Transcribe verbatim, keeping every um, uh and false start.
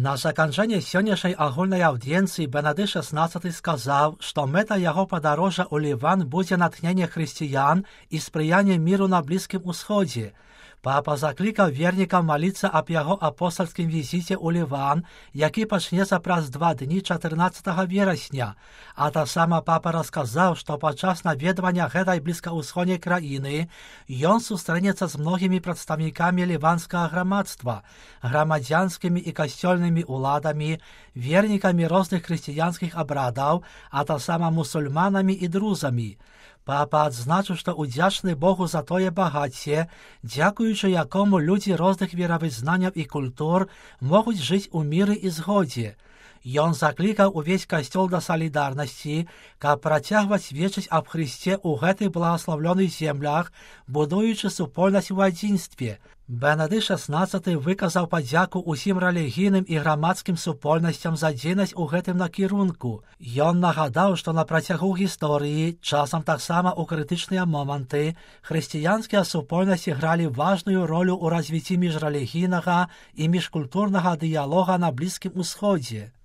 На заканчэнне сённяшняй агульнай аўдыенцыі Бенедыкт шаснаццаты сказаў, што мэта яго падарожжа ў Ліван будзе натхненне хрысціян і спрыянне міру на Блізкім Усходзе. Папа заклікаў вернікаў маліцца аб яго апостальскім візіце ў Ліван, які пачнецца праз два дні чатырнаццатага верасня. А таксама папа расказаў, што падчас наведвання гэтай блізкаўсходняй краіны ён сустрэнецца з многімі прадстаўнікамі ліванскага грамадства, грамадзянскімі і касцёльнымі ўладамі, вернікамі розных хрысціянскіх абрадаў, а таксама мусульманамі і друзамі. Папа адзначыў, што удзячны Богу за тое багацце, дзякуючы якому людзі розных веравызнанняў і культур могуць жыць у міры і згодзе. Ён заклікаў увесь касцёл да салідарнасці, каб працягваць сведчыць аб Хрысце ў гэтых благаслаўлёных землях, будуючы супольнасць у адзінстве. Бенедыкт шаснаццаты выказаў падзяку ўсім рэлігійным і грамадскім супольнасцям за дзейнасць у гэтым накірунку. Ён нагадаў, што на працягу гісторыі, часам таксама ў крытычныя моманты, хрысціянскія супольнасці гралі важную ролю ў развіцці міжрэлігійнага і міжкультурнага дыялога на Блізкім Усходзе.